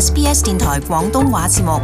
SBS 電台廣東話節目。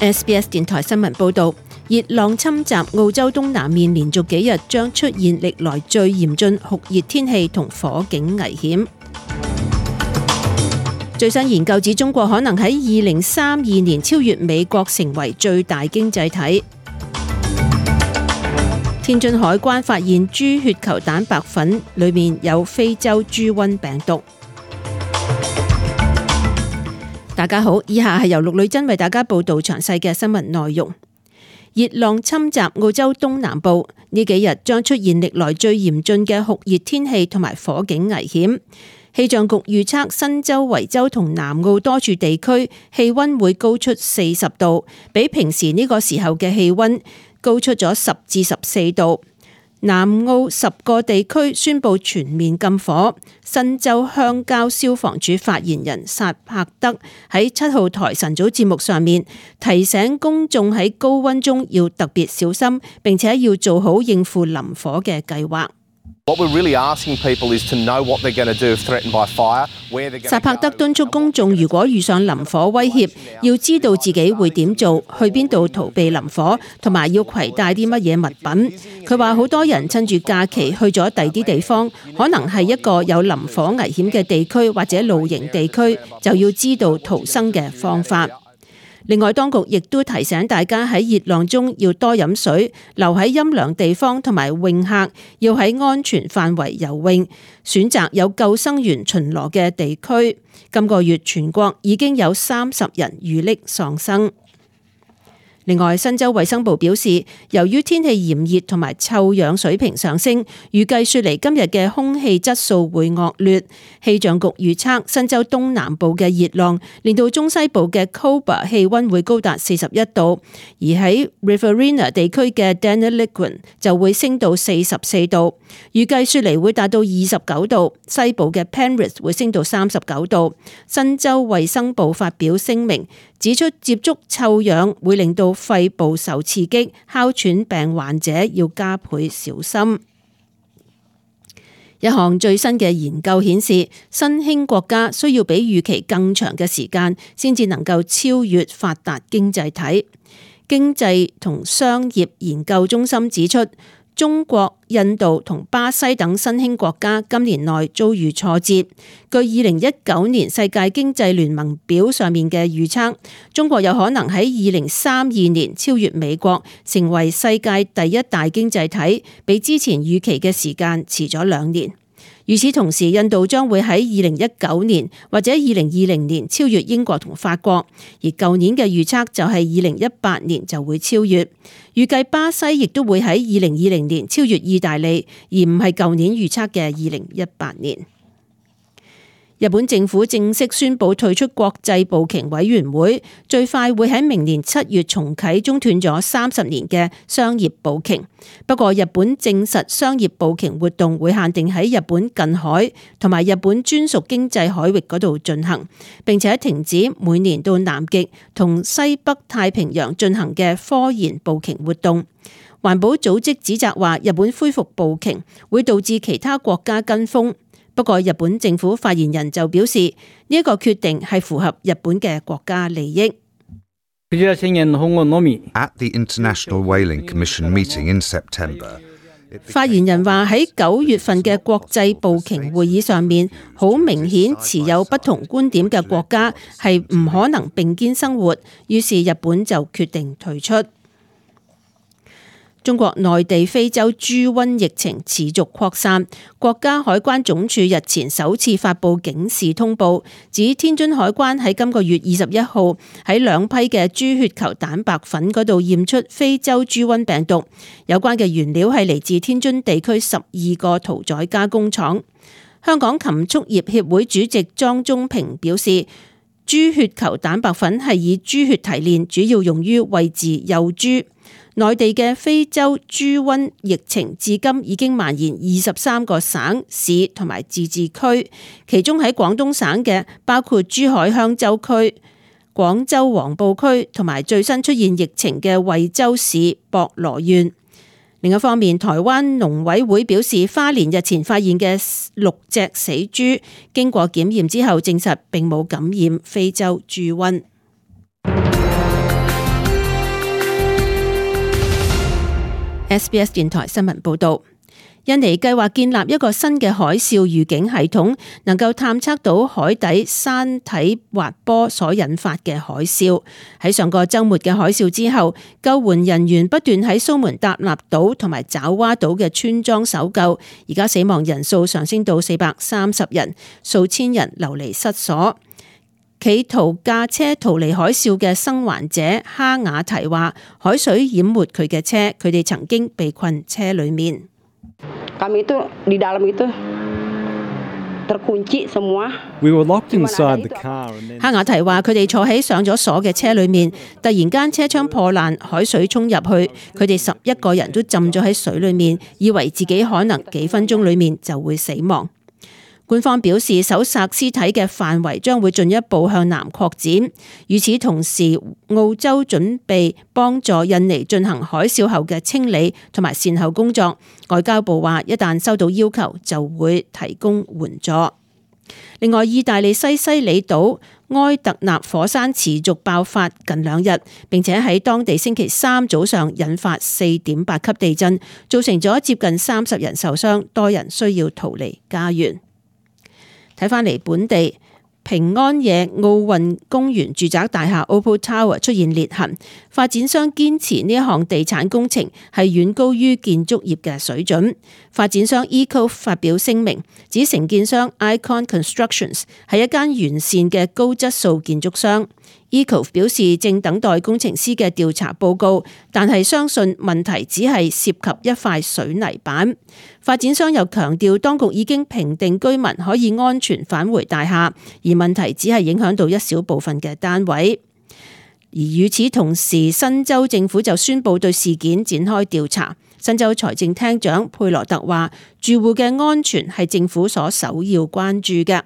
SBS 電台新聞報導，熱浪侵襲澳洲東南面，連續幾日將出現歷來最嚴峻酷熱天氣同火警危險。最新研究指，中國可能喺2032年超越美國，成為最大經濟體。天津海關發現豬血球蛋白粉裡面有非洲豬瘟病毒。大家好，以下係由陸女真為大家報道詳細嘅新聞內容。熱浪侵襲澳洲東南部，呢幾日將出現歷來最嚴峻嘅酷熱天氣同埋火警危險。氣象局預測新州、維州同南澳多處地區氣溫會高出40度，比平時呢個時候嘅氣溫高出咗10至14度。南澳10個地區宣布全面禁火。新州鄉郊消防處發言人薩柏德喺7號台晨早節目上面提醒公眾喺高溫中要特別小心，並且要做好應付林火嘅計劃。薩柏德敦促公眾，如果遇上林火威脅，要知道自己會點做，去邊度逃避林火，同埋要攜帶啲乜嘢物品。佢話好多人趁住假期去咗第啲地方，可能係一個有林火危險嘅地區或者露營地區，就要知道逃生嘅方法。另外，當局亦都提醒大家喺熱浪中要多飲水，留喺陰涼地方，同埋泳客要喺安全範圍游泳，選擇有救生員巡邏嘅地區。今個月全國已經有30人遇溺喪生。另外，新州衛生部表示，由於天氣炎熱同埋臭氧水平上升，預計雪梨今日嘅空氣質素會惡劣。氣象局預測，新州東南部嘅熱浪連到中西部嘅 Cobar 氣溫會高達41度，而喺 Riverina 地區嘅 Deniliquin 就會升到44度。預計雪梨會達到29度，西部嘅 Penrith 會升到39度。新州衛生部發表聲明，指出接觸臭氧會令到肺部受刺激，哮喘病患者要加倍小心。一項最新嘅研究顯示，新興國家需要比預期更長嘅時間先至能夠超越發達經濟體。經濟同商業研究中心指出，中國、印度同巴西等新興國家今年內遭遇挫折。據2019年世界經濟聯盟表上面嘅預測，中國有可能喺2032年超越美國，成為世界第一大經濟體，比之前預期嘅時間遲咗2年。與此同時，印度將會喺2019年或者2020年超越英國同法國，而舊年嘅預測就係2018年就會超越。預計巴西亦都會喺2020年超越意大利，而唔係舊年預測嘅2018年。日本政府正式宣布退出國際捕鯨委員會，最快會喺明年7月重啟中斷咗30年嘅商業捕鯨。不過，日本證實商業捕鯨活動會限定喺日本近海同埋日本專屬經濟海域嗰度進行，並且停止每年到南極同西北太平洋進行嘅科研捕鯨活動。環保組織指責話，日本恢復捕鯨會導致其他國家跟風。不過，日本政府發言人就表示，呢一個決定係符合日本嘅國家利益。At the International Whaling Commission meeting in September, 發言人話喺9月份嘅國際捕鯨會議上面，好明顯持有不同觀點嘅國家係唔可能並肩生活，於是日本就決定退出。中國內地非洲豬瘟疫情持續擴散，國家海關總署日前首次發布警示通報，指天津海關喺今個月21號喺2批嘅豬血球蛋白粉嗰度驗出非洲豬瘟病毒，有關嘅原料係嚟自天津地區12個屠宰加工廠。香港禽畜業協會主席莊中平表示，豬血球蛋白粉係以豬血提煉，主要用於餵飼幼豬。內地嘅非洲豬瘟疫情至今已經蔓延23個省市同埋自治區，其中喺廣東省嘅包括珠海香洲區、廣州黃埔區同埋最新出現疫情嘅惠州市博羅縣。另一方面，台灣農委會表示，花蓮日前發現嘅6隻死豬，經過檢驗之後證實並冇感染非洲豬瘟。SBS 電台新聞報道。印尼計劃建立一個新嘅海嘯預警系統，能夠探測到海底山體滑坡所引發嘅海嘯。喺上個週末嘅海嘯之後，救援人員不斷喺蘇門答臘島同埋爪哇島嘅村莊搜救，而家死亡人數上升到430人，數千人流離失所。企圖駕車逃離海嘯嘅生還者哈雅提話：海水淹沒佢嘅車，佢哋曾經被困車裡面。Kami itu di dalam itu terkunci semua. We were locked inside the car. 哈雅提話：佢哋坐喺上咗鎖嘅車裏面，突然間車窗破爛，海水衝入去，佢哋11個人都浸咗喺水裏面，以為自己可能幾分鐘裏面就會死亡。官方表示，搜索屍體嘅範圍將會進一步向南擴展。與此同時，澳洲準備幫助印尼進行海嘯後嘅清理同埋善後工作。外交部話，一旦收到要求，就會提供援助。另外，意大利西西里島埃特納火山持續爆發近2日，並且喺當地星期3早上引發4.8級地震，造成咗接近30人受傷，多人需要逃離家園。睇返嚟本地，平安夜奧運公園住宅大廈 Opal Tower 出現裂痕，發展商堅持呢一項地產工程係遠高於建築業嘅水準。發展商 Eco 發表聲明，指承建商 Icon Constructions 係一間完善嘅高質素建築商。Eco 表示正等待工程師嘅調查報告，但係相信問題只係涉及一塊水泥板。發展商又強調，當局已經評定居民可以安全返回大廈，而問題只係影響到一小部分嘅單位。而與此同時，新州政府就宣布對事件展開調查。新州財政廳長佩羅特話：住戶嘅安全係政府所首要關注嘅。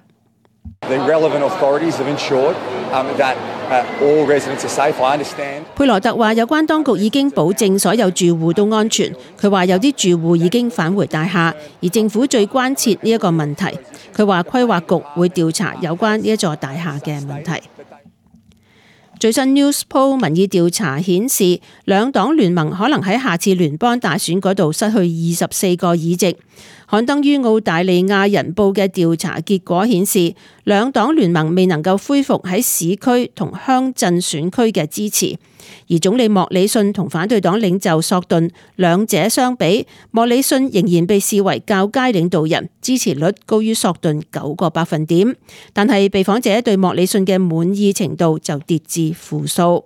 佩羅特話：有關當局已經保證所有住戶都安全。佢話有啲住戶已經返回大廈，而政府最關切呢一個問題。佢話規劃局會調查有關呢一座大廈嘅問題。最新 Newspoll 民意調查顯示，兩黨聯盟可能喺下次聯邦大選嗰度失去24個議席。刊登於澳大利亞人報嘅調查結果顯示，兩黨聯盟未能夠恢復喺市區同鄉鎮選區嘅支持。而總理莫里遜同反對黨領袖索頓兩者相比，莫里遜仍然被視為較佳領導人，支持率高於索頓9個百分點。但係被訪者對莫里遜嘅滿意程度就跌至負數。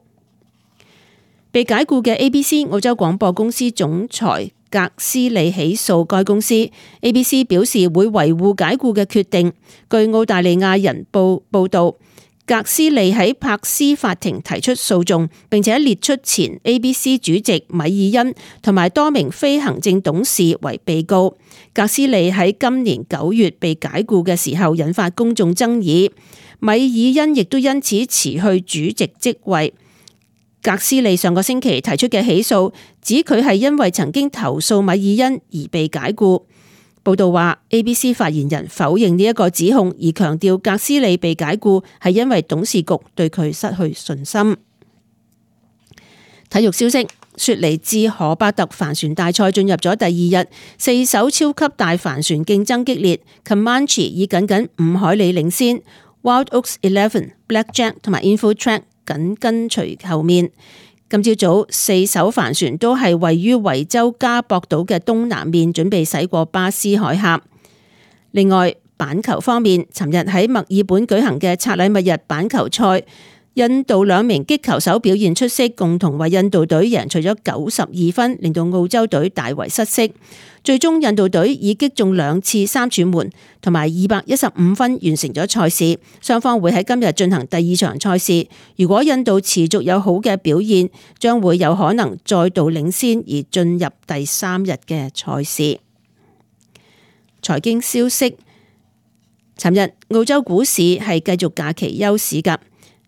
被解僱嘅 ABC 澳洲廣播公司總裁格斯利起訴該公司。ABC 表示會維護解僱嘅決定。據澳大利亞人報報道，格斯利喺柏斯法庭提出訴訟，並且列出前 ABC 主席米爾恩同埋多名非行政董事為被告。格斯利喺今年9月被解僱嘅時候引發公眾爭議，米爾恩亦都因此辭去主席職位。格斯利上個星期提出嘅起訴，指佢係因為曾經投訴米爾恩而被解僱。報道話 ABC 發言人否認呢一個指控，而強調格斯利被解僱係因為董事局對佢失去信心。體育消息，雪梨至荷伯特帆船大賽進入咗第2日，4艘超級大帆船競爭激烈 ，Comanche 以僅5海里領先 ，Wild Oaks 11、Blackjack 同埋 Infotrack 緊跟隨後面。今朝早4艘帆船都係位於維州加博島嘅東南面，準備駛過巴斯海峽。另外，板球方面，尋日喺墨爾本舉行嘅拆禮物日板球賽，印度2名擊球手表現出色，共同為印度隊贏取咗92分，令到澳洲隊大為失色。最終印度隊以擊中2次3柱門同埋215分完成咗賽事。雙方會喺今日進行第2場賽事。如果印度持續有好嘅表現，將會有可能再度領先而進入第3日嘅賽事。財經消息，尋日澳洲股市係繼續假期休市㗎。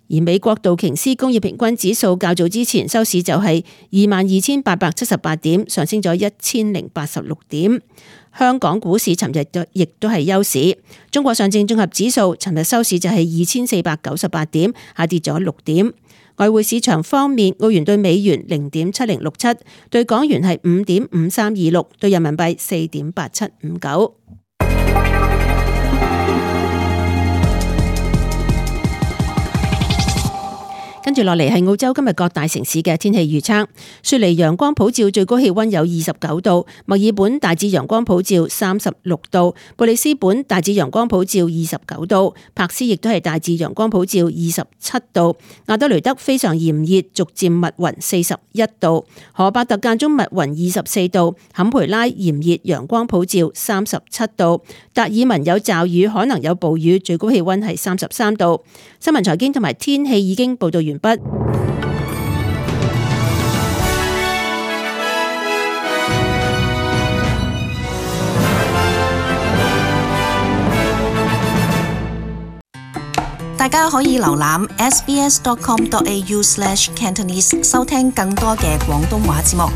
而美國道瓊斯工業平均指數較早之前收市就係22,878點，上升咗1086點。香港股市尋日亦都係休市。中國上證綜合指數尋日收市就係2498點，下跌咗6點。外匯市場方面，澳元對美元0.7067，對港元係5.5326，對人民幣4.8759。跟住落嚟係澳洲今日各大城市嘅天氣預測。雪梨陽光普照，最高氣溫有29度；墨爾本大致陽光普照36度；布里斯本大致陽光普照29度；柏斯亦都係大致陽光普照27度；亞德雷德非常炎熱，逐漸密雲41度；荷伯特間中密雲24度；坎培拉炎熱陽光普照37度；達爾文有驟雨，可能有暴雨，最高氣溫係33度。新聞財經同埋天氣已經報道完畢。大家可以瀏覽 sbs.com.au/cantonese 收聽更多嘅廣東話節目。